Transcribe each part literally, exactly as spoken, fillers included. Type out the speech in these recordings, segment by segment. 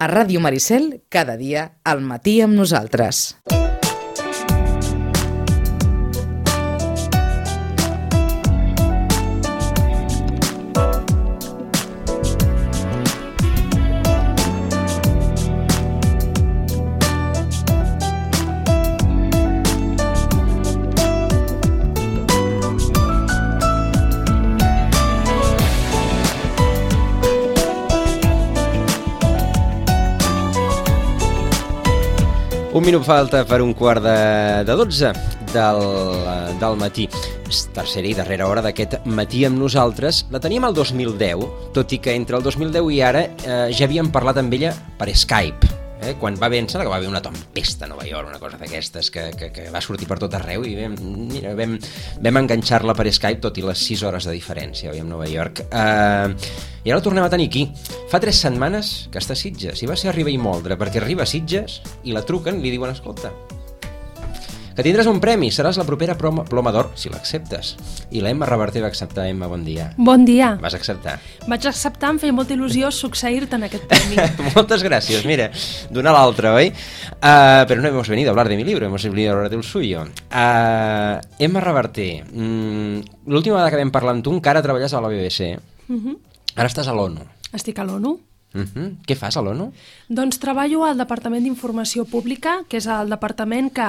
A Ràdio Maricel, cada dia, al matí amb nosaltres. Un minut falta per un quart de, de dotze del, del matí. És tercera i darrera hora d'aquest matí amb nosaltres. La teníem el dos mil deu, tot i que entre el dos mil deu i ara eh, ja havíem parlat amb ella per Skype. Eh? Quan va vèncer, que va haver una tempesta a Nova York, una cosa d'aquestes que, que, que va sortir per tot arreu i vam, mira, vam, vam enganxar-la per Skype, tot i les sis hores de diferència avui a Nova York. Eh, I ara la tornem a tenir aquí. Fa tres setmanes que està a Sitges i va ser arribar i moldre, perquè arriba a Sitges i la truquen i li diuen, escolta, que tindràs un premi, seràs la propera Ploma d'Or, si l'acceptes. I la Emma Reverter va acceptar. Emma, bon dia. Bon dia. Vas acceptar? Vaig acceptar, em feia molta il·lusió succeir-te en aquest premi. Moltes gràcies, mira, d'una a l'altra, oi? Uh, però no hemos venido a hablar de mi libro, hemos venido a hablar del suyo. Uh, Emma Reverter, mm, l'última vegada que vam parlar amb tu encara treballes a la B B C. Uh-huh. Ara estàs a l'ONU. Estic a l'ONU. Uh-huh. Què fas a l'ONU? Doncs treballo al Departament d'Informació Pública, que és el departament que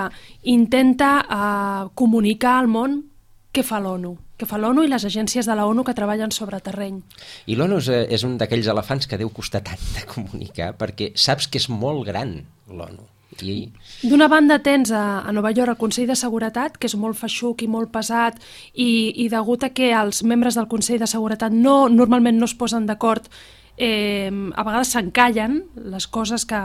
intenta eh, comunicar al món què fa l'ONU, què fa l'ONU i les agències de la ONU que treballen sobre terreny. I l'ONU és, és un d'aquells elefants que deu costar tant de comunicar, perquè saps que és molt gran l'ONU. I... D'una banda tens a, a Nova York el Consell de Seguretat, que és molt feixuc i molt pesat, i, i degut a que els membres del Consell de Seguretat no, normalment no es posen d'acord, Eh, a vegades s'encallen les coses que,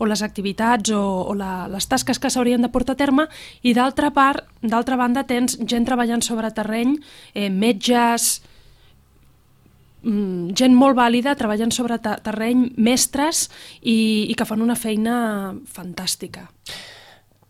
o les activitats o, o la, les tasques que s'haurien de portar a terme, i d'altra part, d'altra banda tens gent treballant sobre terreny, eh, metges, mm, gent molt vàlida treballant sobre terreny, mestres i, i que fan una feina fantàstica.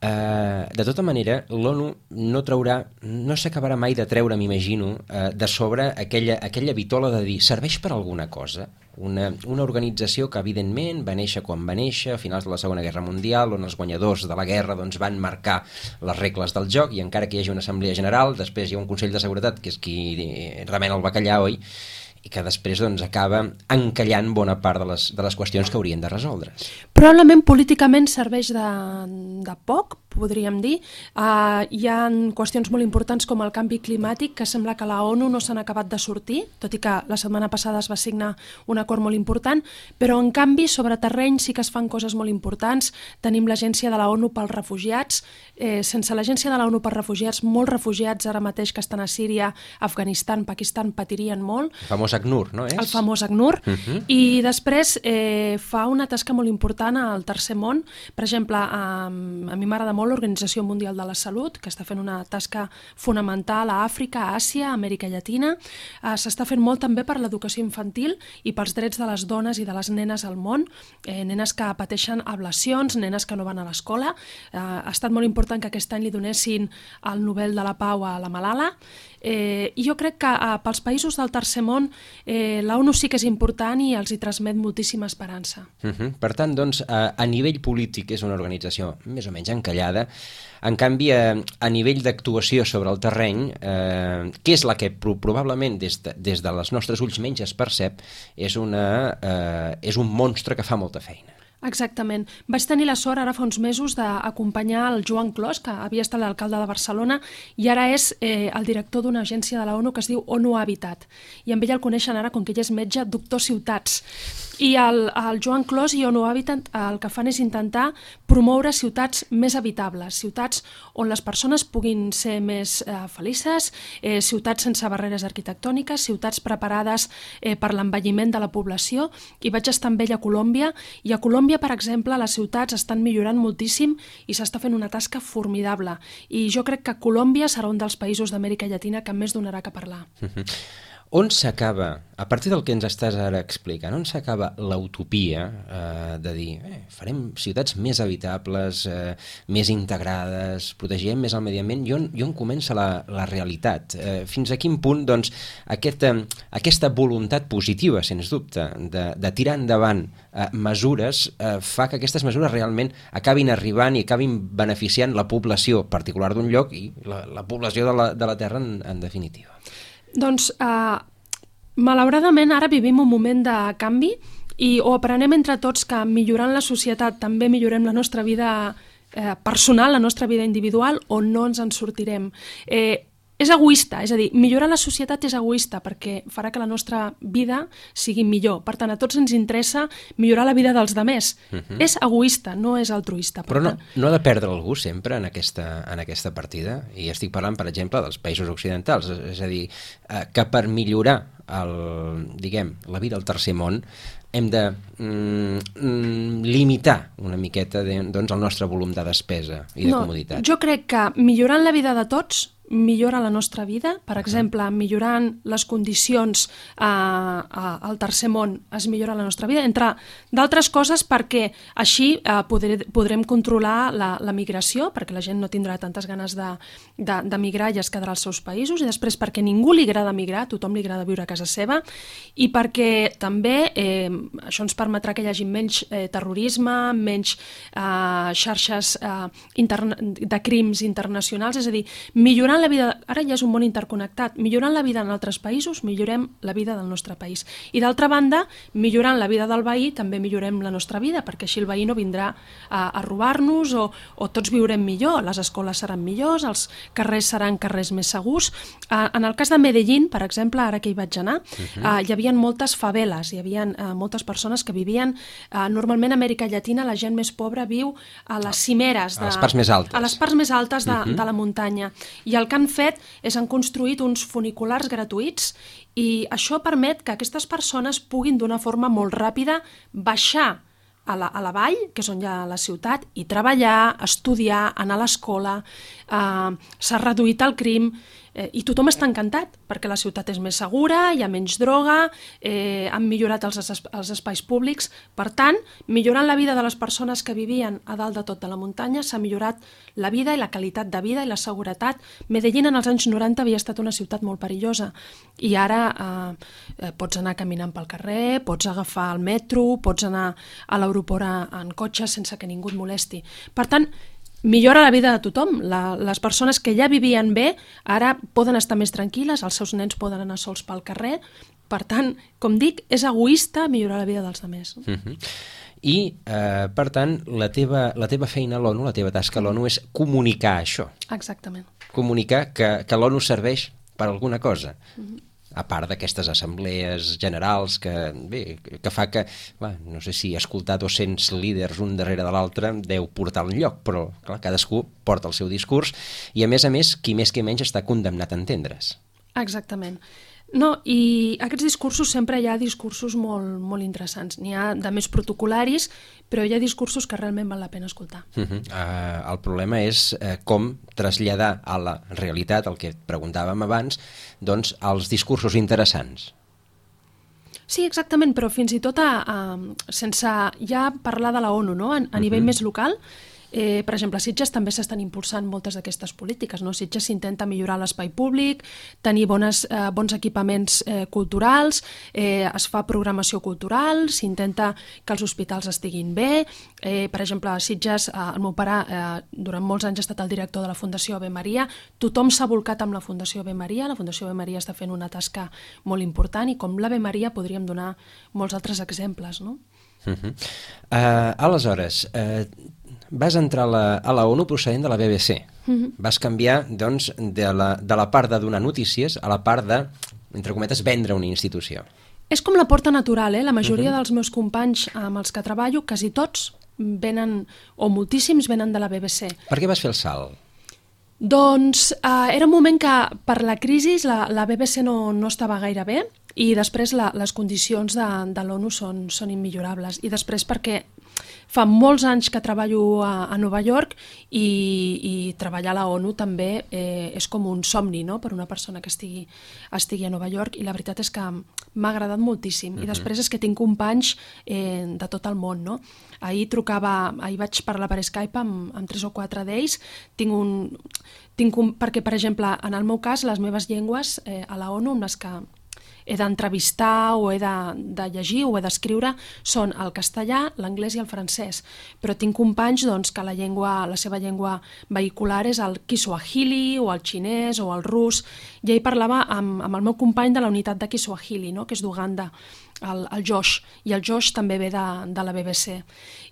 Uh, de tota manera, l'ONU no traurà, no s'acabarà mai de treure, m'imagino, uh, de sobre aquella, aquella vitola de dir serveix per alguna cosa. Una, una organització que evidentment va néixer quan va néixer, a finals de la Segona Guerra Mundial, on els guanyadors de la guerra doncs, van marcar les regles del joc, i encara que hi hagi una assemblea general, després hi ha un Consell de Seguretat, que és qui remena el bacallà, oi? I que després doncs, acaba encallant bona part de les, de les qüestions que haurien de resoldre. Probablement políticament serveix de, de poc, podríem dir. Uh, hi ha qüestions molt importants com el canvi climàtic, que sembla que la ONU no s'han acabat de sortir, tot i que la setmana passada es va signar un acord molt important, però en canvi sobre terreny sí que es fan coses molt importants. Tenim l'Agència de la ONU pels Refugiats. Eh, sense l'Agència de la ONU pels Refugiats, molts refugiats ara mateix que estan a Síria, Afganistan, Pakistan patirien molt. El famós ACNUR, no és? El famós ACNUR. Uh-huh. I després eh, fa una tasca molt important al Tercer Món. Per exemple, a, a mi m'agrada molt l'Organització Mundial de la Salut, que està fent una tasca fonamental a Àfrica, a Àsia, a Amèrica Llatina. Eh, s'està fent molt també per l'educació infantil i pels drets de les dones i de les nenes al món, eh, nenes que pateixen ablacions, nenes que no van a l'escola. Eh, ha estat molt important que aquest any li donessin el Nobel de la Pau a la Malala. Eh, I jo crec que eh, pels països del Tercer Món eh, la ONU sí que és important i els hi transmet moltíssima esperança. Uh-huh. Per tant, doncs, a, a nivell polític és una organització més o menys encallada. En canvi, a, a nivell d'actuació sobre el terreny, eh, que és la que pro probablement des de, des de les nostres ulls menys es percep, és, una, eh, és un monstre que fa molta feina. Exactament. Vaig tenir la sort ara fa uns mesos d'acompanyar el Joan Clos, que havia estat l'alcalde de Barcelona i ara és eh, el director d'una agència de la ONU que es diu ONU Habitat. I amb ell el coneixen ara, com que ell és metge, doctor Ciutats. I el, el Joan Clos i ONU Habitat el que fan és intentar promoure ciutats més habitables, ciutats on les persones puguin ser més eh, felices, eh, ciutats sense barreres arquitectòniques, ciutats preparades eh, per l'envelliment de la població. I vaig estar amb ell a Colòmbia, i a Colòmbia, per exemple, les ciutats estan millorant moltíssim i s'està fent una tasca formidable. I jo crec que Colòmbia serà un dels països d'Amèrica Llatina que més donarà que parlar. on s'acaba, a partir del que ens estàs ara explicant, on s'acaba l'utopia eh, de dir eh, farem ciutats més habitables, eh, més integrades, protegirem més el medi ambient, i on, i on comença la, la realitat? Eh, fins a quin punt doncs, aquesta, aquesta voluntat positiva, sens dubte, de, de tirar endavant eh, mesures, eh, fa que aquestes mesures realment acabin arribant i acabin beneficiant la població particular d'un lloc i la, la població de la, de la Terra en, en definitiva? Doncs, eh, malauradament, ara vivim un moment de canvi i o aprenem entre tots que millorant la societat també millorem la nostra vida eh, personal, la nostra vida individual, o no ens en sortirem. Eh, és egoista, és a dir, millorar la societat és egoista perquè farà que la nostra vida sigui millor. Per tant, a tots ens interessa millorar la vida dels demés. Uh-huh. És egoista, no és altruista. Però no, no ha de perdre algú sempre en aquesta, en aquesta partida? I estic parlant, per exemple, dels països occidentals. És a dir, eh, que per millorar el, diguem, la vida al tercer món hem de mm, limitar una miqueta de, doncs, el nostre volum de despesa i de no, comoditat. Jo crec que millorant la vida de tots millora la nostra vida. Per exemple, millorant les condicions eh, al tercer món es millora la nostra vida, entre d'altres coses perquè així eh, podré, podrem controlar la, la migració, perquè la gent no tindrà tantes ganes de, de, de migrar i es quedarà als seus països, i després perquè ningú li agrada migrar, a tothom li agrada viure a casa seva, i perquè també eh, això ens permetrà que hi hagi menys eh, terrorisme, menys eh, xarxes eh, interna- de crims internacionals, és a dir, millorant la vida, ara ja és un món interconnectat, millorant la vida en altres països, millorem la vida del nostre país. I d'altra banda, millorant la vida del veí, també millorem la nostra vida, perquè així el veí no vindrà a, a robar-nos o, o tots viurem millor, les escoles seran millors, els carrers seran carrers més segurs. Uh, en el cas de Medellín, per exemple, ara que hi vaig anar, uh-huh. uh, hi havia moltes faveles, hi havia uh, moltes persones que vivien, uh, normalment a Amèrica Llatina la gent més pobra viu a les cimeres, de, a les parts més altes, a les parts més altes de, uh-huh. de la muntanya. I el que han fet és han construït uns funiculars gratuïts i això permet que aquestes persones puguin d'una forma molt ràpida baixar a la, a la vall, que és on hi ha la ciutat, i treballar, estudiar, anar a l'escola, eh, s'ha reduït el crim, eh, i tothom està encantat, perquè la ciutat és més segura, hi ha menys droga, eh, han millorat els, els espais públics. Per tant, millorant la vida de les persones que vivien a dalt de tot de la muntanya, s'ha millorat la vida i la qualitat de vida i la seguretat. Medellín en els anys noranta havia estat una ciutat molt perillosa i ara eh, pots anar caminant pel carrer, pots agafar el metro, pots anar a l'aeroport en cotxe sense que ningú et molesti. Per tant, millora la vida de tothom. La, les persones que ja vivien bé ara poden estar més tranquil·les, els seus nens poden anar sols pel carrer. Per tant, com dic, és egoista millorar la vida dels altres. Uh-huh. I, eh, per tant, la teva, la teva feina a l'ONU, la teva tasca a l'ONU és comunicar això. Exactament. Comunicar que, que l'ONU serveix per alguna cosa. Uh-huh. A part d'aquestes assemblees generals que, bé, que fa que, va, no sé si escoltar dos-cents líders un darrere de l'altre deu portar un lloc, però clar, cadascú porta el seu discurs i, a més a més, qui més que menys està condemnat a entendre's. Exactament. No, i aquests discursos sempre hi ha discursos molt, molt interessants. N'hi ha de més protocolaris, però hi ha discursos que realment val la pena escoltar. Uh-huh. Uh, el problema és uh, com traslladar a la realitat, el que preguntàvem abans, doncs els discursos interessants. Sí, exactament, però fins i tot a, a, sense ja parlar de la ONU, no? a, a nivell uh-huh. més local. Eh, per exemple, a Sitges també s'estan impulsant moltes d'aquestes polítiques. No? A Sitges s'intenta millorar l'espai públic, tenir bones, eh, bons equipaments eh, culturals, eh, es fa programació cultural, s'intenta que els hospitals estiguin bé. Eh, per exemple, a Sitges, eh, el meu pare eh, durant molts anys ha estat el director de la Fundació Ave Maria. Tothom s'ha volcat amb la Fundació Ave Maria. La Fundació Ave Maria està fent una tasca molt important i com l'Ave Maria podríem donar molts altres exemples. No? Uh-huh. Uh, aleshores, uh, vas entrar a la, a la ONU procedent de la B B C. Uh-huh. Vas canviar, doncs, de la, de la part de donar notícies a la part de, entre cometes, vendre una institució. És com la porta natural, eh? La majoria uh-huh. dels meus companys amb els que treballo, quasi tots venen, o moltíssims venen de la B B C. Per què vas fer el salt? Doncs eh, era un moment que per la crisi la, la B B C no, no estava gaire bé i després la, les condicions de, de l'ONU són, són immillorables i després perquè fa molts anys que treballo a, a Nova York i, i treballar a la ONU també eh, és com un somni, no?, per una persona que estigui, estigui a Nova York, i la veritat és que m'ha agradat moltíssim. Uh-huh. I després és que tinc companys eh, de tot el món, no? Ahir trucava, ahir vaig parlar per Skype amb, amb tres o quatre d'ells, tinc un... Tinc un, perquè, per exemple, en el meu cas, les meves llengües eh, a la ONU, amb les que he d'entrevistar o he de, de llegir o he d'escriure, són el castellà, l'anglès i el francès. Però tinc companys doncs, que la, llengua, la seva llengua vehicular és el kiswahili o el xinès o el rus. I ahir parlava amb, amb el meu company de la unitat de kiswahili, no?, que és d'Uganda, el, el Josh, i el Josh també ve de, de la B B C.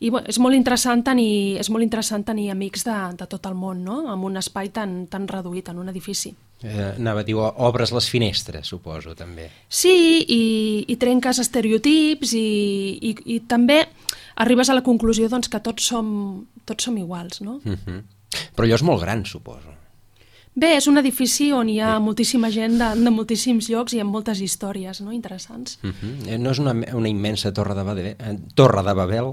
I bueno, és molt interessant tenir, és molt interessant tenir amics de, de tot el món, no?, en un espai tan, tan reduït, en un edifici. Eh, anava a dir, obres les finestres, suposo, també. Sí, i, i trenques estereotips i, i, i també arribes a la conclusió doncs, que tots som, tots som iguals, no? Uh-huh. Però allò és molt gran, suposo. Bé, és un edifici on hi ha sí. moltíssima gent de, de moltíssims llocs i amb moltes històries, no?, interessants. Uh-huh. No és una, una immensa torre de Babel? Eh, torre de Babel?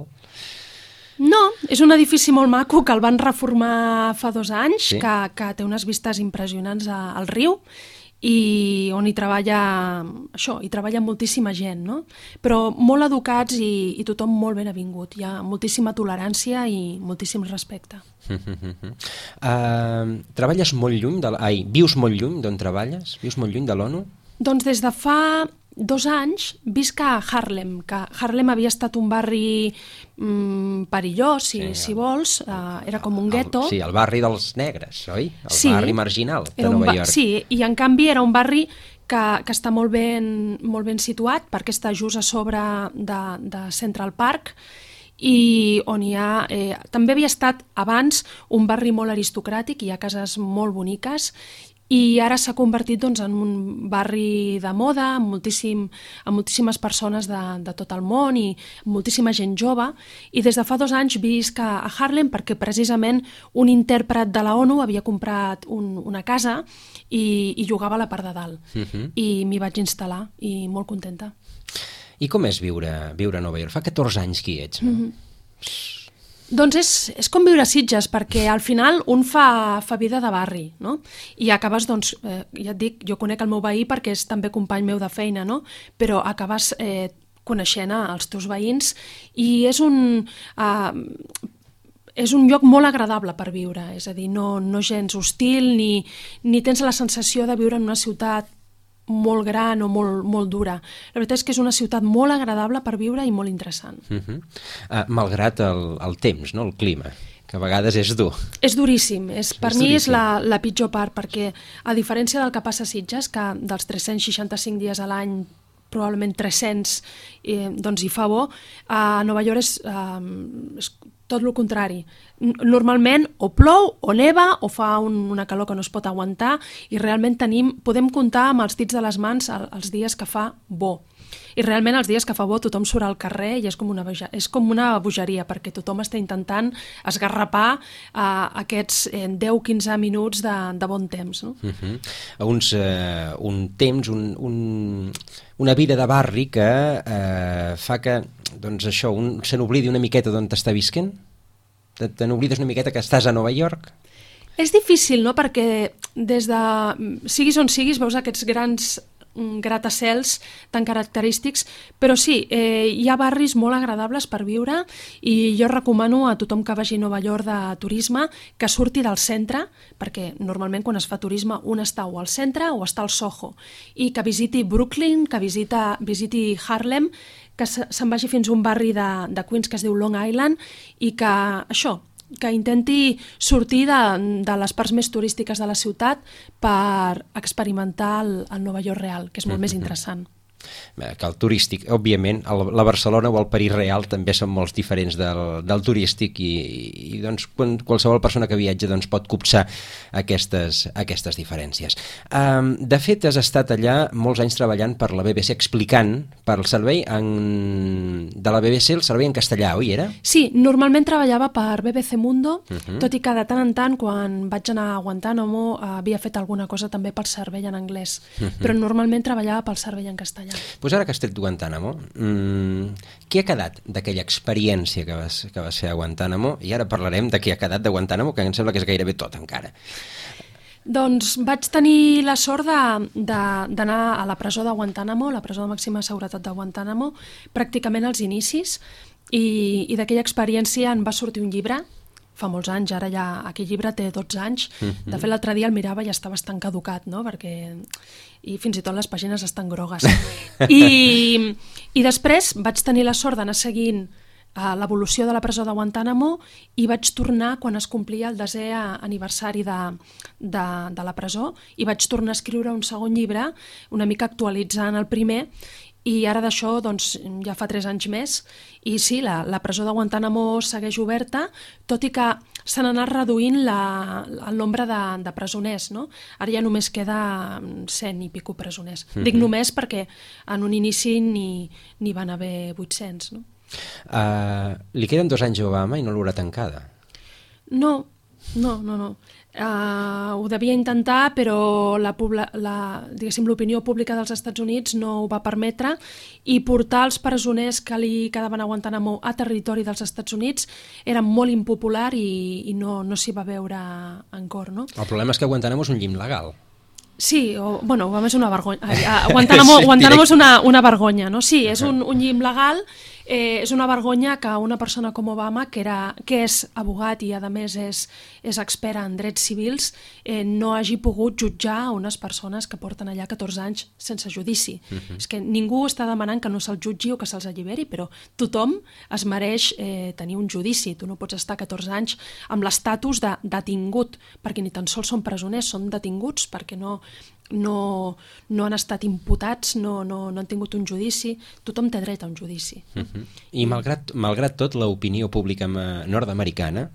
No, és un edifici molt maco que el van reformar fa dos anys, sí. que, que té unes vistes impressionants a, al riu, i on hi treballa, això, hi treballa moltíssima gent, no? Però molt educats i, i tothom molt ben avingut. Hi ha moltíssima tolerància i moltíssim respecte. uh, treballes molt lluny, de, ai, vius molt lluny d'on treballes? Vius molt lluny de l'ONU? Doncs des de fa dos anys visc a Harlem, que Harlem havia estat un barri mm, perillós, si, sí, si vols, uh, era com un gueto. Sí, el barri dels negres, oi? El sí, barri marginal de Nova York. Sí, i en canvi era un barri que, que està molt ben, molt ben situat, perquè està just a sobre de, de Central Park, i on hi ha... Eh, també havia estat abans un barri molt aristocràtic, hi ha cases molt boniques, i ara s'ha convertit doncs, en un barri de moda amb, moltíssim, amb moltíssimes persones de, de tot el món i moltíssima gent jove, i des de fa dos anys visc a, a Harlem perquè precisament un intèrpret de la ONU havia comprat un, una casa i, i jugava a la part de dalt. Uh-huh. I m'hi vaig instal·lar i molt contenta. I com és viure, viure a Nova York? Fa catorze anys que hi ets, no? Uh-huh. Doncs és, és com viure a Sitges, perquè al final un fa, fa vida de barri, no? I acabes, doncs, eh, ja et dic, jo conec el meu veí perquè és també company meu de feina, no? Però acabes eh, coneixent els teus veïns i és un... Eh, és un lloc molt agradable per viure, és a dir, no, no gens hostil ni, ni tens la sensació de viure en una ciutat molt gran o molt, molt dura. La veritat és que és una ciutat molt agradable per viure i molt interessant. Uh-huh. uh, malgrat el, el temps, no? El clima, que a vegades és dur. És duríssim. És, per és mi duríssim. És la, la pitjor part, perquè a diferència del que passa a Sitges, que dels tres-cents seixanta-cinc dies a l'any probablement tres-cents eh, doncs hi fa bo, a Nova York és, eh, és tot el contrari. Normalment o plou, o neva, o fa un, una calor que no es pot aguantar, i realment tenim, podem comptar amb els dits de les mans el, els dies que fa bo. I realment els dies que fa bo tothom surt al carrer i és com una, és com una bogeria, perquè tothom està intentant esgarrapar uh, aquests eh, deu a quinze minuts de, de bon temps. No? Uh-huh. Uns, uh, un temps, un, un, una vida de barri que uh, fa que doncs això, un se n'oblidi una miqueta d'on t'està visquent? Te, te n'oblides una miqueta que estàs a Nova York? És difícil, no?, perquè des de... siguis on siguis veus aquests grans gratacels tan característics, però sí, eh, hi ha barris molt agradables per viure i jo recomano a tothom que vagi a Nova York de turisme que surti del centre, perquè normalment quan es fa turisme un està o al centre o està al Soho, i que visiti Brooklyn, que visita, visiti Harlem, que se'n vagi fins a un barri de, de Queens que es diu Long Island i que això, que intenti sortir de, de les parts més turístiques de la ciutat per experimentar el, el Nova York real, que és molt mm-hmm. més interessant. Que el turístic, òbviament, el, la Barcelona o el París real també són molt diferents del, del turístic i, i doncs, quan, qualsevol persona que viatja doncs, pot copsar aquestes, aquestes diferències. Um, de fet, has estat allà molts anys treballant per la B B C, explicant per el servei en, de la B B C, el servei en castellà, oi era? Sí, normalment treballava per B B C Mundo, uh-huh. tot i que de tant en tant, quan vaig anar a Guantánamo, havia fet alguna cosa també pel servei en anglès, uh-huh. però normalment treballava pel servei en castellà. Pues ara que has tret Guantánamo, mmm, què ha quedat d'aquella experiència que vas, que vas fer a Guantánamo? I ara parlarem de què ha quedat de Guantánamo, que em sembla que és gairebé tot encara. Doncs vaig tenir la sort d'anar a la presó de Guantánamo, la presó de màxima seguretat de Guantánamo, pràcticament als inicis, i, i d'aquella experiència en va sortir un llibre, fa molts anys, ara ja aquell llibre té dotze anys, mm-hmm. De fet l'altre dia el mirava i està bastant caducat, no? Perquè i fins i tot les pàgines estan grogues. I, i després vaig tenir la sort d'anar seguint uh, l'evolució de la presó de Guantánamo i vaig tornar quan es complia el desè aniversari de, de, de la presó i vaig tornar a escriure un segon llibre, una mica actualitzant el primer, i ara d'això doncs, ja fa tres anys més, i sí, la, la presó de Guantánamo segueix oberta, tot i que s'han anat reduint la, el nombre de, de presoners, no? Ara ja només queda cent i pico presoners. Mm-hmm. Dic només perquè en un inici n'hi van haver vuit-cents. No? Uh, li queden dos anys a Obama i no l'haurà tancada? No, no, no, no. Uh, ho devia intentar, però la, la, diguéssim, l'opinió pública dels Estats Units no ho va permetre, i portar els presoners que li quedaven a Guantánamo a territori dels Estats Units era molt impopular i, i no, no s'hi va veure en cor. No? El problema és que Guantánamo és un llim legal. Sí, o, bueno, Obama és una vergonya. Guantánamo, sí, Guantánamo és una, una vergonya, no? Sí, és un, un llim legal. Eh, és una vergonya que una persona com Obama, que, era, que és abogat i a més és, és expert en drets civils, eh, no hagi pogut jutjar unes persones que porten allà catorze anys sense judici. Uh-huh. És que ningú està demanant que no se'ls jutgi o que se'ls alliberi, però tothom es mereix eh, tenir un judici. Tu no pots estar catorze anys amb l'estatus de detingut, perquè ni tan sols són presoners, són detinguts perquè no, no, no han estat imputats, no, no, no han tingut un judici. Tothom té dret a un judici. Uh-huh. I malgrat, malgrat tot, l'opinió pública nord-americana,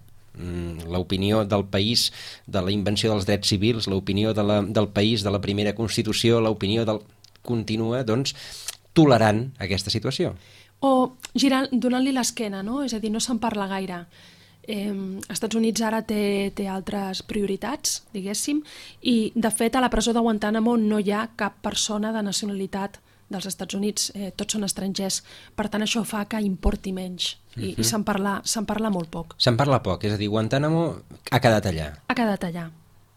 l'opinió del país de la invenció dels drets civils, l'opinió de la, del país de la primera Constitució, l'opinió del... continua, doncs, tolerant aquesta situació. O girant, donant-li l'esquena, no? És a dir, no se'n parla gaire. Eh, Estats Units ara té, té altres prioritats, diguéssim, i de fet a la presó de Guantánamo no hi ha cap persona de nacionalitat dels Estats Units, eh, tots són estrangers, per tant això fa que importi menys i, uh-huh. i se'n parla, se'n parla molt poc. Se'n parla poc, és a dir, Guantánamo ha quedat allà. Ha quedat allà.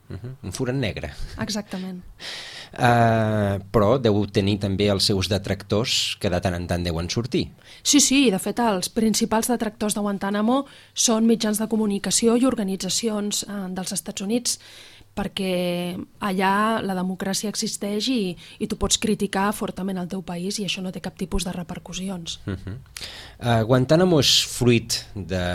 Uh-huh. Un forat negre. Exactament. Uh, però deu tenir també els seus detractors que de tant en tant deuen sortir. Sí, sí, de fet els principals detractors de Guantánamo són mitjans de comunicació i organitzacions eh, dels Estats Units, perquè allà la democràcia existeix i, i tu pots criticar fortament el teu país i això no té cap tipus de repercussions. Uh-huh. uh, Guantánamo és fruit de,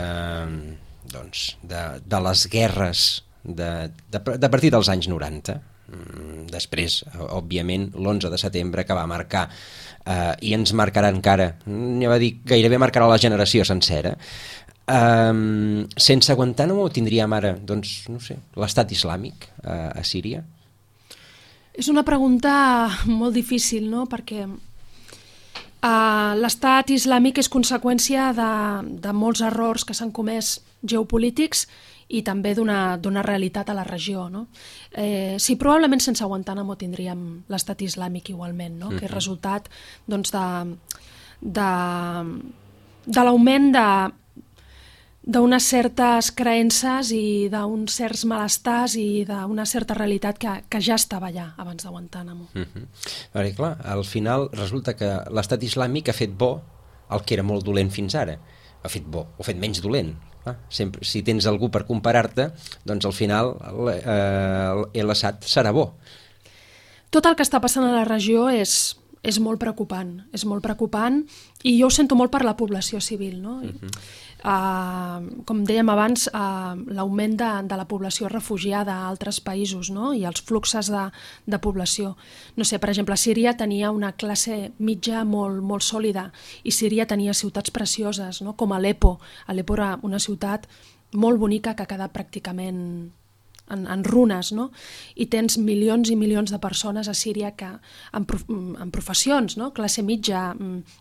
doncs, de, de les guerres de, de, de partir dels anys noranta. Després, òbviament, l'onze de setembre que va marcar eh, i ens marcarà encara, ja va dir, gairebé marcarà la generació sencera. Um, sense Guantánamo tindríem ara, doncs, no sé, l'estat islàmic uh, a Síria? És una pregunta molt difícil, no? Perquè uh, l'estat islàmic és conseqüència de, de molts errors que s'han comès geopolítics i també d'una d'una realitat a la regió, no? Eh, sí, probablement sense Guantánamo tindríem l'estat islàmic igualment, no? Uh-huh. Que és resultat, doncs, de, de, de l'augment de d'unes certes creences i d'uns certs malestars i d'una certa realitat que, que ja estava allà abans de Guantánamo. Uh-huh. Perquè, clar, al final resulta que l'estat islàmic ha fet bo el que era molt dolent fins ara. Ha fet bo, o ha fet menys dolent. Ah, sempre, si tens algú per comparar-te, doncs al final eh, l'Assad serà bo. Tot el que està passant a la regió és, és molt preocupant, és molt preocupant i jo ho sento molt per la població civil, no? Uh-huh. Uh, com dèiem abans, uh, l'augment de, de la població refugiada a altres països, no? I els fluxes de, de població. No sé, per exemple, Síria tenia una classe mitja molt, molt sòlida i Síria tenia ciutats precioses, no? Com Aleppo. Aleppo era una ciutat molt bonica que ha quedat pràcticament en, en runes, no? I tens milions i milions de persones a Síria que, en, prof, en professions, no? Classe mitja,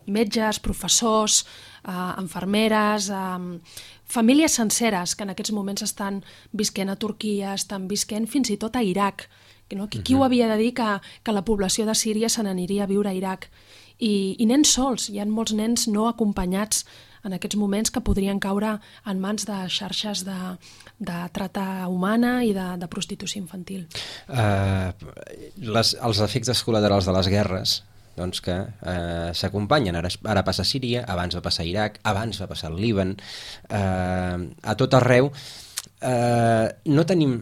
metges, professors, eh, infermeres, eh, famílies senceres que en aquests moments estan visquent a Turquia, estan visquent fins i tot a Iraq, No? Qui, qui ho havia de dir que, que la població de Síria se n'aniria a viure a Iraq? I, I nens sols, hi ha molts nens no acompanyats en aquests moments que podrien caure en mans de xarxes de, de trata humana i de, de prostitució infantil. Uh, les, els efectes col·laterals de les guerres doncs que eh, s'acompanyen. Ara, ara passa a Síria, abans va passar a Iraq, abans va passar al Líban, eh, a tot arreu. Eh, no tenim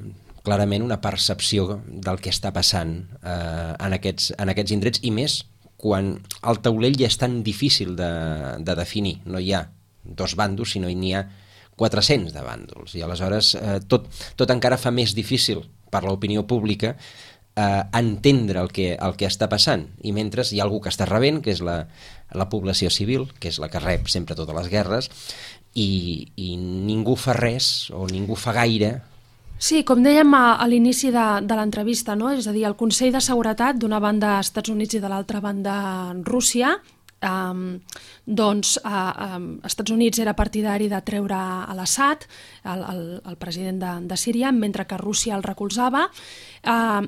clarament una percepció del que està passant eh, en, aquests, en aquests indrets, i més quan el taulell ja és tan difícil de, de definir. No hi ha dos bàndols, sinó n'hi ha quatre-cents de bàndols, i aleshores eh, tot, tot encara fa més difícil per l'opinió pública eh, entendre el que, el que està passant, i mentre hi ha algú que està rebent, que és la, la població civil, que és la que rep sempre totes les guerres, i, i ningú fa res, o ningú fa gaire. Sí, com dèiem a, a l'inici de, de l'entrevista, no? És a dir, el Consell de Seguretat, d'una banda Estats Units i de l'altra banda Rússia, Um, doncs uh, um, Estats Units era partidari de treure a l'Assad, el, el, el president de, de Síria, mentre que Rússia el recolzava. Uh,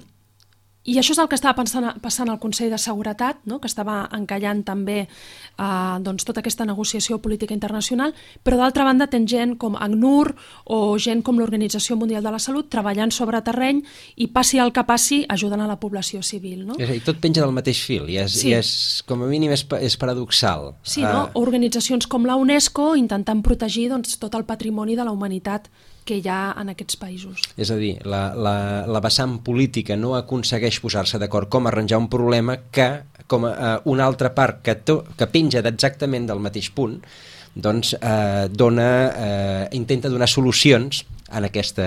I això és el que estava pensant, passant al Consell de Seguretat, no? Que estava encallant també eh, doncs, tota aquesta negociació política internacional, però d'altra banda ten gent com ACNUR o gent com l'Organització Mundial de la Salut treballant sobre terreny i passi el que passi ajudant a la població civil. No? És a dir, tot penja del mateix fil i és, sí. i és com a mínim és, és paradoxal. Sí, no? Uh... Organitzacions com la UNESCO intentant protegir doncs, tot el patrimoni de la humanitat que hi ha en aquests països. És a dir, la, la, la vessant política no aconsegueix posar-se d'acord com arranjar un problema que, com a, una altra part que, to, que penja exactament del mateix punt, doncs eh, dona, eh, intenta donar solucions en, aquesta,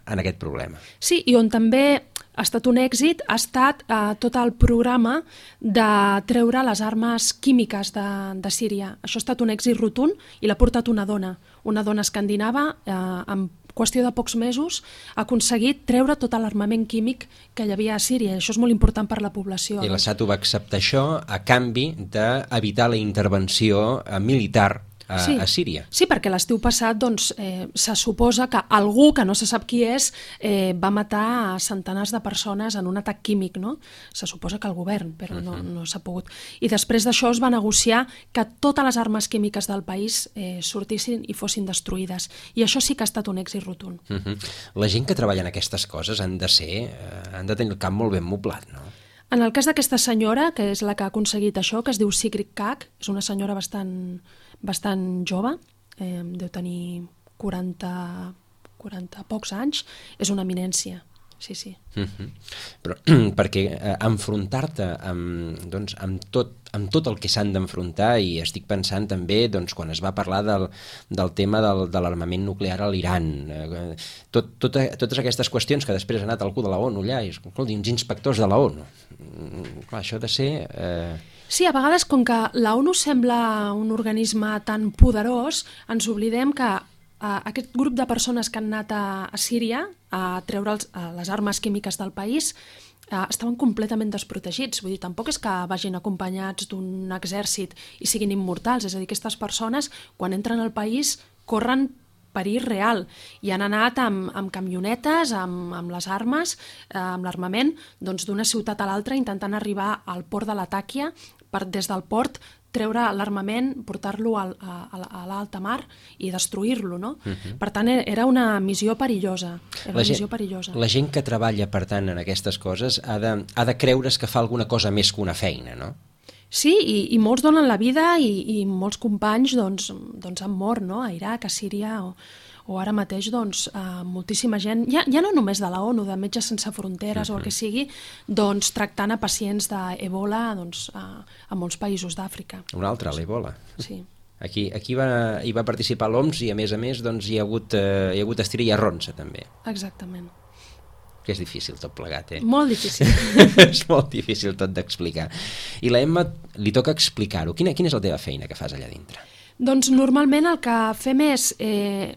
en aquest problema. Sí, i on també ha estat un èxit ha estat eh, tot el programa de treure les armes químiques de, de Síria. Això ha estat un èxit rotund i l'ha portat una dona, una dona escandinava, eh, en qüestió de pocs mesos, ha aconseguit treure tot l'armament químic que hi havia a Síria. Això és molt important per la població. I l'Assad ho va acceptar això a canvi d'evitar la intervenció militar A, sí. a Síria. Sí, perquè l'estiu passat doncs, eh, se suposa que algú, que no se sap qui és, eh, va matar a centenars de persones en un atac químic, no? Se suposa que el govern, però no, no s'ha pogut. I després d'això es va negociar que totes les armes químiques del país eh, sortissin i fossin destruïdes. I això sí que ha estat un èxit rotund. Uh -huh. La gent que treballa en aquestes coses han de ser, eh, han de tenir el cap molt ben moblat, no? En el cas d'aquesta senyora, que és la que ha aconseguit això, que es diu Sigrid Kaag, és una senyora bastant, bastant jove, eh, deu tenir quaranta, quaranta pocs anys, és una eminència, sí, sí. Uh-huh. Però perquè eh, enfrontar-te amb, doncs, amb, tot, amb tot el que s'han d'enfrontar, i estic pensant també doncs, quan es va parlar del, del tema del, de l'armament nuclear a l'Iran, eh, tot, tot, totes aquestes qüestions que després ha anat algú de la ONU allà, i escolti, uns inspectors de la ONU. Clar, això ha de ser... Eh... Sí, a vegades, com que la ONU sembla un organisme tan poderós, ens oblidem que Uh, aquest grup de persones que han anat a, a Síria a treure els, a les armes químiques del país uh, estaven completament desprotegits. Vull dir, tampoc és que vagin acompanyats d'un exèrcit i siguin immortals. És a dir, aquestes persones, quan entren al país, corren perill real i han anat amb, amb camionetes, amb, amb les armes, eh, amb l'armament, doncs d'una ciutat a l'altra intentant arribar al port de Latakia per des del port treure l'armament, portar-lo a, a, a l'alta mar i destruir-lo, no? Uh-huh. Per tant, era una missió perillosa. Era una la, missió gent, perillosa. La gent que treballa, per tant, en aquestes coses ha de, ha de creure's que fa alguna cosa més que una feina, no? Sí, i, i molts donen la vida i, i molts companys doncs, doncs han mort, no? A Iraq, a Síria o, o ara mateix doncs, eh, moltíssima gent, ja, ja no només de la ONU, de Metges Sense Fronteres uh-huh. o el que sigui, doncs tractant a pacients d'Ebola doncs, a, a molts països d'Àfrica. Un altre, l'Ebola. Sí. Aquí, aquí va, hi va participar l'O M S i a més a més doncs, hi, ha hagut, eh, hi ha hagut estira i arronsa també. Exactament. Que és difícil tot plegat, eh? Molt difícil. És molt difícil tot d'explicar. I la Emma li toca explicar-ho. Quina, quina és la teva feina que fas allà dintre? Doncs normalment el que fem és... Eh,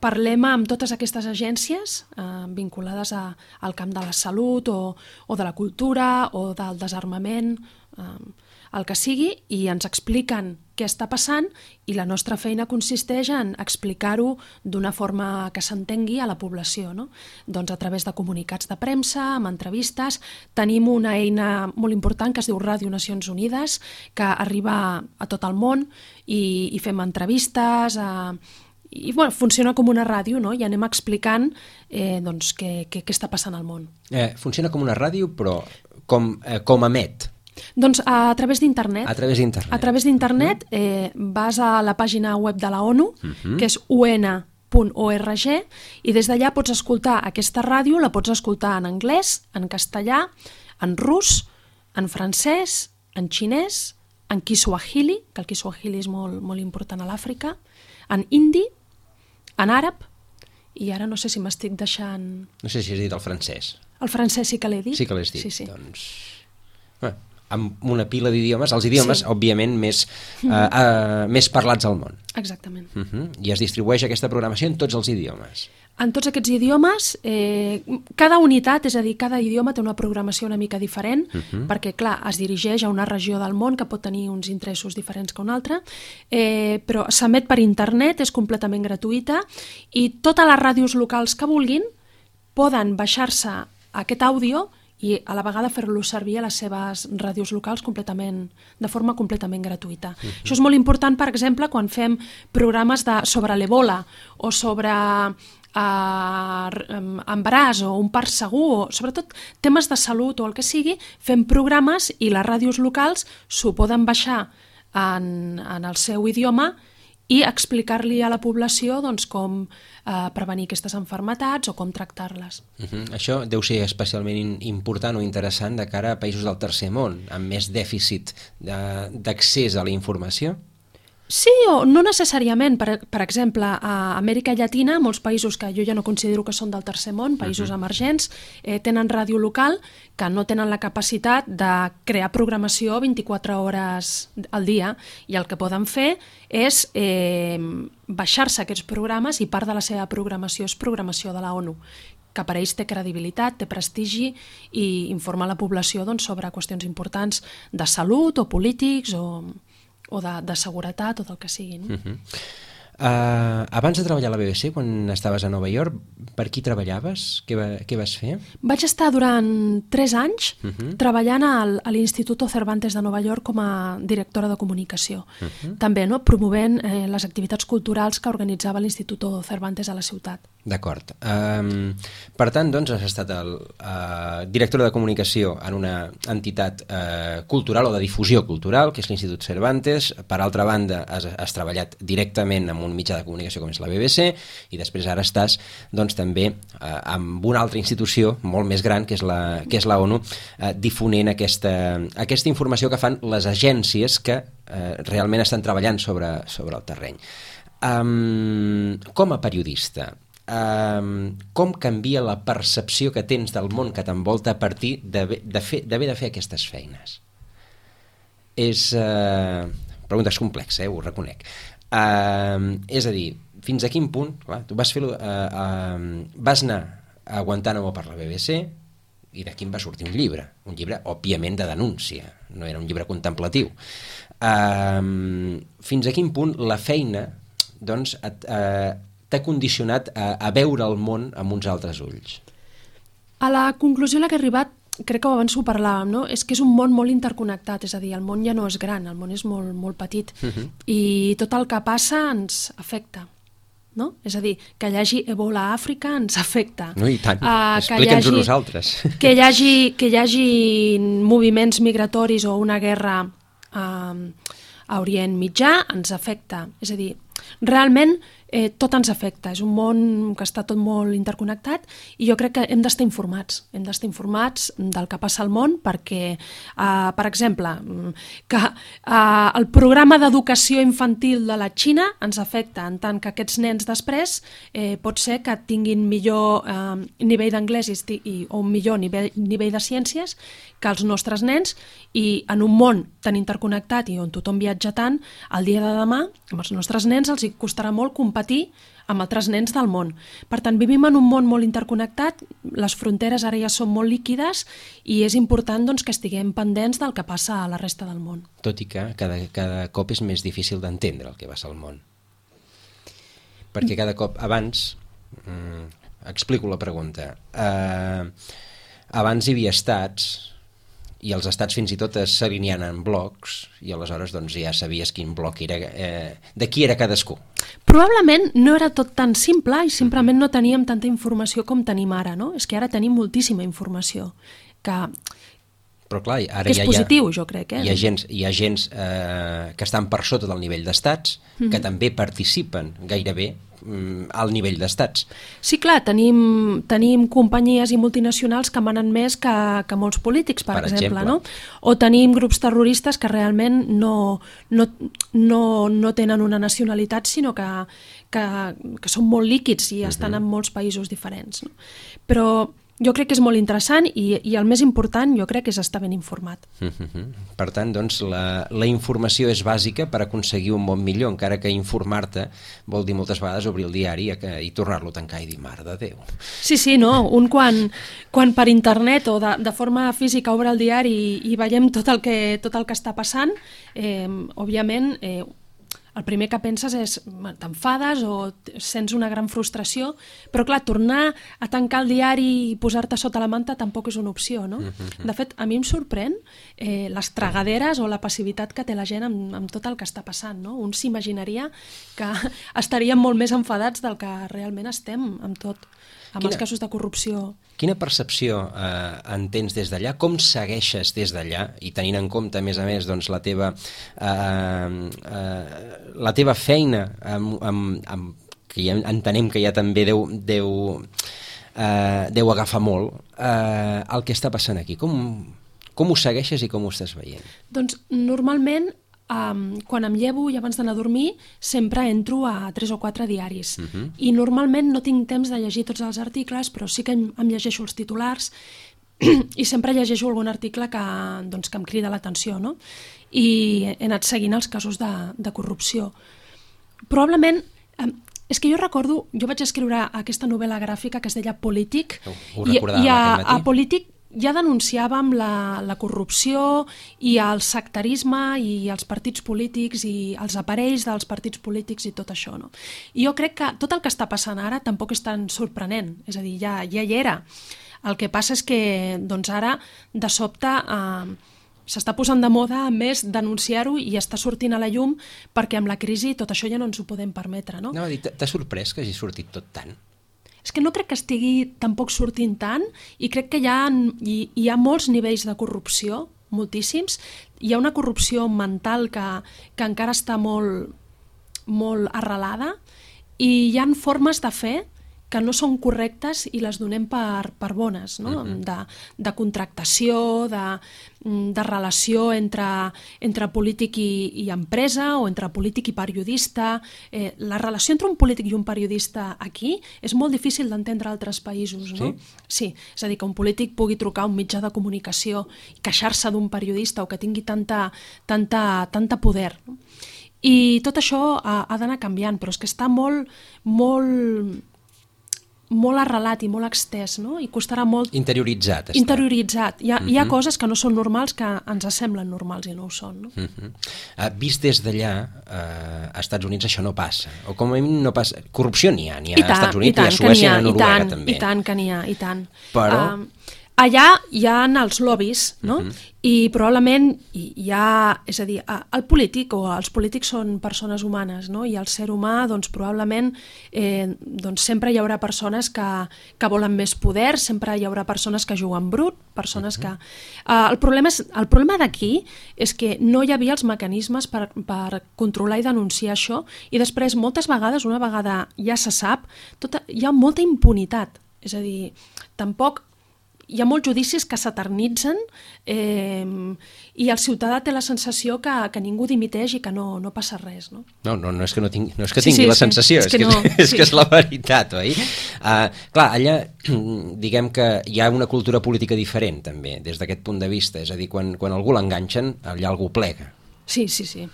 parlem amb totes aquestes agències eh, vinculades a, al camp de la salut o, o de la cultura o del desarmament. Eh, el que sigui, i ens expliquen què està passant, i la nostra feina consisteix en explicar-ho d'una forma que s'entengui a la població, no? Doncs a través de comunicats de premsa, amb entrevistes. Tenim una eina molt important que es diu Ràdio Nacions Unides, que arriba a tot el món, i, i fem entrevistes, a... i bueno, funciona com una ràdio, no? I anem explicant eh, doncs, què, què, què està passant al món. Eh, funciona com una ràdio, però com, eh, com emet? Doncs a través d'internet. A través d'internet. A través d'internet eh, vas a la pàgina web de la ONU, uh-huh. que és u ena punt org, i des d'allà pots escoltar aquesta ràdio, la pots escoltar en anglès, en castellà, en rus, en francès, en xinès, en kiswahili, que el kiswahili és molt, molt important a l'Àfrica, en hindi, en àrab, i ara no sé si m'estic deixant... No sé si has dit el francès. El francès sí que l'he dit. Sí que l'has dit. Sí, sí. Doncs... Bé, amb una pila d'idiomes, els idiomes, sí. òbviament, més, uh, uh, més parlats al món. Exactament. Uh -huh. I es distribueix aquesta programació en tots els idiomes. En tots aquests idiomes, eh, cada unitat, és a dir, cada idioma té una programació una mica diferent, uh -huh. perquè, clar, es dirigeix a una regió del món que pot tenir uns interessos diferents que una altra, eh, però s'emet per internet, és completament gratuïta, i totes les ràdios locals que vulguin poden baixar-se aquest àudio i a la vegada fer-lo servir a les seves ràdios locals completament, de forma completament gratuïta. Uh-huh. Això és molt important, per exemple, quan fem programes de, sobre l'Ebola o sobre uh, embaràs o un part segur, o sobretot temes de salut o el que sigui, fem programes i les ràdios locals s'ho poden baixar en, en el seu idioma i explicar-li a la població doncs, com eh, prevenir aquestes malalties o com tractar-les. Uh-huh. Això deu ser especialment important o interessant de cara a països del tercer món, amb més dèficit d'accés a la informació? Sí, o no necessàriament. Per, per exemple, a Amèrica Llatina, molts països que jo ja no considero que són del tercer món, països uh-huh. emergents, eh, tenen ràdio local que no tenen la capacitat de crear programació vint-i-quatre hores al dia, i el que poden fer és eh, baixar-se aquests programes, i part de la seva programació és programació de la ONU, que per ells té credibilitat, té prestigi, i informa la població doncs, sobre qüestions importants de salut o polítics o... o de, de seguretat o del que sigui. No? Uh-huh. uh, abans de treballar a la B B C, quan estaves a Nova York, per qui treballaves? Què, va, què vas fer? Vaig estar durant tres anys uh-huh. treballant al, a l'Instituto Cervantes de Nova York com a directora de comunicació. Uh-huh. També no, promovent eh, les activitats culturals que organitzava l'Instituto Cervantes a la ciutat. D'acord. Um, per tant, doncs, has estat el, uh, directora de comunicació en una entitat uh, cultural o de difusió cultural, que és l'Institut Cervantes. Per altra banda, has, has treballat directament amb un mitjà de comunicació com és la B B C, i després ara estàs doncs, també uh, amb una altra institució molt més gran, que és la, que és la ONU, uh, difonent aquesta, aquesta informació que fan les agències que uh, realment estan treballant sobre, sobre el terreny. Um, com a periodista, Um, com canvia la percepció que tens del món que t'envolta a partir d'haver de, fer, d'haver de fer aquestes feines? És... Uh, pregunta és complexa, eh, ho reconec. Uh, és a dir, fins a quin punt... Clar, tu vas fer-ho... Uh, uh, vas anar a Guantánamo per la B B C i d'aquí en va sortir un llibre. Un llibre, òbviament, de denúncia. No era un llibre contemplatiu. Uh, fins a quin punt la feina doncs, et, uh, t'ha condicionat a, a veure el món amb uns altres ulls? A la conclusió a la que he arribat, crec que abans ho parlàvem, no? És que és un món molt interconnectat, és a dir, el món ja no és gran, el món és molt, molt petit, uh-huh. i tot el que passa ens afecta. No? És a dir, que hi hagi Ebola a Àfrica ens afecta. No, i tant. Uh, Explica'ns-ho hagi, nosaltres. Que hi, hagi, que hi hagi moviments migratoris o una guerra uh, a Orient Mitjà ens afecta. És a dir, realment eh, tot ens afecta. És un món que està tot molt interconnectat, i jo crec que hem d'estar informats. Hem d'estar informats del que passa al món perquè, eh, per exemple, que eh, el programa d'educació infantil de la Xina ens afecta, en tant que aquests nens després eh, pot ser que tinguin millor eh, nivell d'anglès i, i, o un millor nivell, nivell de ciències que els nostres nens, i en un món tan interconnectat i on tothom viatja tant, el dia de demà amb els nostres nens els hi costarà molt competir competir amb altres nens del món. Per tant, vivim en un món molt interconnectat, les fronteres ara ja són molt líquides i és important doncs, que estiguem pendents del que passa a la resta del món. Tot i que cada, cada cop és més difícil d'entendre el que passa al món. Perquè cada cop, abans, mm, explico la pregunta, eh, abans hi havia estats i els estats fins i tot s'alineaven en blocs i aleshores doncs, ja sabies quin bloc era, eh, de qui era cadascú. Probablement no era tot tan simple i simplement no teníem tanta informació com tenim ara, no? És que ara tenim moltíssima informació, que, Però clar, ara que és ja positiu, hi ha, jo crec. Eh? Hi ha gens, hi ha gens eh, que estan per sota del nivell d'estats, mm-hmm. que també participen gairebé mm, al nivell d'estats. Sí, clar, tenim, tenim companyies i multinacionals que manen més que, que molts polítics, per, Per exemple, exemple. no? O tenim grups terroristes que realment no, no, no, no tenen una nacionalitat, sinó que, que, que són molt líquids i estan uh-huh. en molts països diferents. No? Però jo crec que és molt interessant i, i el més important jo crec que és estar ben informat. Uh-huh. Per tant, doncs, la, la informació és bàsica per aconseguir un món millor, encara que informar-te vol dir moltes vegades obrir el diari i, i tornar-lo a tancar i dir, mare de Déu. Sí, sí, no, un quan, quan per internet o de, de forma física obre el diari i, i veiem tot el que, tot el que està passant, eh, òbviament... Eh, el primer que penses és, t'enfades o sents una gran frustració, però clar, tornar a tancar el diari i posar-te sota la manta tampoc és una opció, no? De fet, a mi em sorprèn eh, les tragaderes o la passivitat que té la gent amb, amb tot el que està passant, no? Un s'imaginaria que estaríem molt més enfadats del que realment estem amb tot, amb Quina... els casos de corrupció. Quina percepció eh, en tens des d'allà? Com segueixes des d'allà? I tenint en compte, a més a més, doncs, la teva eh, eh, la teva feina, amb, amb, amb, que ja entenem que ja també deu, deu, eh, deu agafar molt, eh, el que està passant aquí. Com, com ho segueixes i com ho estàs veient? Doncs, normalment, Um, quan em llevo i abans d'anar a dormir sempre entro a tres o quatre diaris uh-huh. i normalment no tinc temps de llegir tots els articles, però sí que em, em llegeixo els titulars i sempre llegeixo algun article que, doncs, que em crida l'atenció, no? I he anat seguint els casos de, de corrupció. Probablement, um, és que jo recordo, jo vaig escriure aquesta novel·la gràfica que es deia Polític, ho, ho i, i a, a Polític ja denunciàvem la, la corrupció i el sectarisme i els partits polítics i els aparells dels partits polítics i tot això, no? I jo crec que tot el que està passant ara tampoc és tan sorprenent, és a dir, ja, ja hi era. El que passa és que doncs ara, de sobte, eh, s'està posant de moda més denunciar-ho i està sortint a la llum perquè amb la crisi tot això ja no ens ho podem permetre, no? No, t'ha sorprès que hagi sortit tot tant? És que no crec que estigui tampoc sortint tant i crec que hi ha, hi, hi ha molts nivells de corrupció, moltíssims. Hi ha una corrupció mental que, que encara està molt, molt arrelada i hi ha formes de fer que no són correctes i les donem per, per bones, no? Uh-huh. de, de contractació, de, de relació entre, entre polític i, i empresa o entre polític i periodista. Eh, la relació entre un polític i un periodista aquí és molt difícil d'entendre a altres països. No? Sí? Sí, és a dir, que un polític pugui trucar a un mitjà de comunicació i queixar-se d'un periodista o que tingui tanta, tanta, tanta poder. No? I tot això ha, ha d'anar canviant, però és que està molt, molt, molt arrelat i molt extès, no? I costarà molt... Interioritzat. Està. Interioritzat. Hi ha, uh-huh. hi ha coses que no són normals, que ens semblen normals i no ho són. No? Uh-huh. uh, vist des d'allà, uh, a Estats Units això no passa. O com a mínim no passa... Corrupció n'hi ha, n'hi ha a Estats Units, i, i a Suècia, i a Noruega tant, també. I tant que n'hi ha, i tant. Però... Uh, allà hi ha els lobbies, no? Uh-huh. I probablement hi ha, és a dir, el polític o els polítics són persones humanes, no? I el ser humà, doncs probablement eh, doncs, sempre hi haurà persones que, que volen més poder, sempre hi haurà persones que juguen brut, persones uh-huh. que... Eh, el problema, és, el problema d'aquí és que no hi havia els mecanismes per, per controlar i denunciar això i després moltes vegades, una vegada ja se sap, tota, hi ha molta impunitat, és a dir, tampoc... Hi ha molts judicis que s'eternitzen eh, i el ciutadà té la sensació que, que ningú dimiteix i que no, no passa res. No, no, no, no és que, no tingui, no és que sí, tingui sí, la sí. sensació, és, és, que, no, és, és sí. que és la veritat, oi? Uh, clar, allà diguem que hi ha una cultura política diferent també, des d'aquest punt de vista, és a dir, quan, quan algú l'enganxen, allà algú plega. Sí, sí, sí.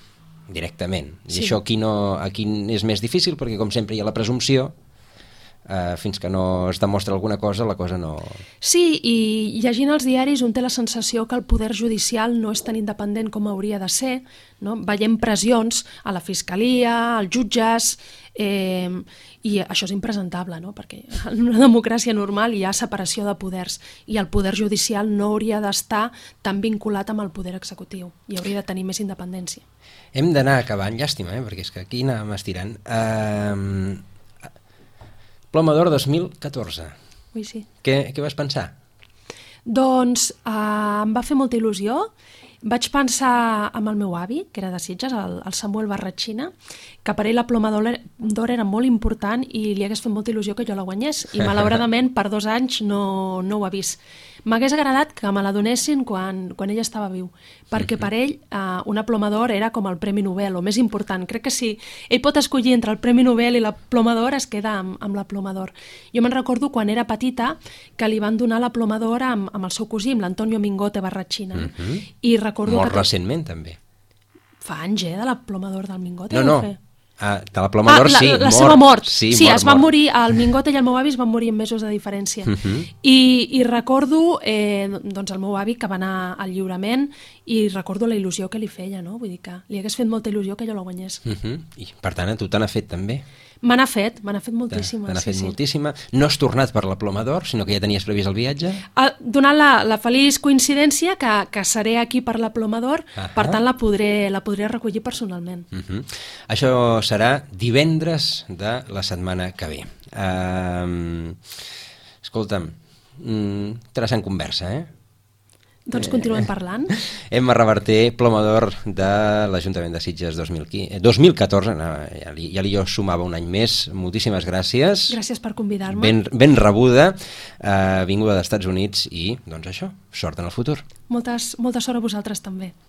directament. I Sí. això aquí, no, aquí és més difícil perquè, com sempre, hi ha la presumpció. Uh, fins que no es demostra alguna cosa, la cosa no... Sí, i llegint els diaris un té la sensació que el poder judicial no és tan independent com hauria de ser, no? Veiem pressions a la fiscalia, als jutges, eh, i això és impresentable, no? Perquè en una democràcia normal hi ha separació de poders i el poder judicial no hauria d'estar tan vinculat amb el poder executiu i hauria de tenir més independència. Hem d'anar acabant, llàstima, eh? Perquè és que aquí anàvem estirant. Uh, Ploma d'Or dos mil catorze. Ui, sí. Què, què vas pensar? Doncs eh, em va fer molta il·lusió. Vaig pensar amb el meu avi, que era de Sitges, el, el Samuel Barratxina, que per ell la Ploma d'Or era molt important i li hagués fet molta il·lusió que jo la guanyés. I malauradament per dos anys no, no ho ha vist. M'hagués agradat que me la donessin quan, quan ell estava viu, perquè per ell eh, una Ploma d'Or era com el Premi Nobel, o més important. Crec que si ell pot escollir entre el Premi Nobel i la Ploma d'Or, es queda amb, amb la Ploma d'Or. Jo me'n recordo quan era petita que li van donar la Ploma d'Or amb, amb el seu cosí, amb l'Antonio Mingote Barratxina. Uh -huh. I recordo Molt que... recentment, també. Fa anys, eh, de la Ploma d'Or del Mingote? No, no. Ah, de la Ploma d'Or, ah, sí, la, la mort. seva mort. Sí, sí mort, es van mort. morir, el Mingote i el meu avi es van morir amb mesos de diferència. Uh -huh. I, I recordo eh, doncs el meu avi que va anar al lliurament i recordo la il·lusió que li feia, no? Vull dir que li hagués fet molta il·lusió que jo la guanyés. Uh -huh. I, per tant, a tu te n'ha fet també? Me n'ha fet, me n'ha fet moltíssima. Te n'ha sí, fet sí. moltíssima. No has tornat per la Ploma d'Or, sinó que ja tenies previst el viatge? Ah, donant la, la feliç coincidència que, que seré aquí per la Ploma d'Or, uh -huh. per tant la podré, la podré recollir personalment. Uh -huh. Això serà divendres de la setmana que ve. Uh, escolta'm, mm, interessant conversa, eh? Doncs continuem parlant. Emma Reverter, Ploma d'Or de l'Ajuntament de Sitges dos mil quinze, dos mil catorze, no, ja, li, ja li jo sumava un any més. Moltíssimes gràcies. Gràcies per convidar-me. Ben, ben rebuda, eh, vinguda dels Estats Units i, doncs això, sort en el futur. Moltes, molta sort a vosaltres també.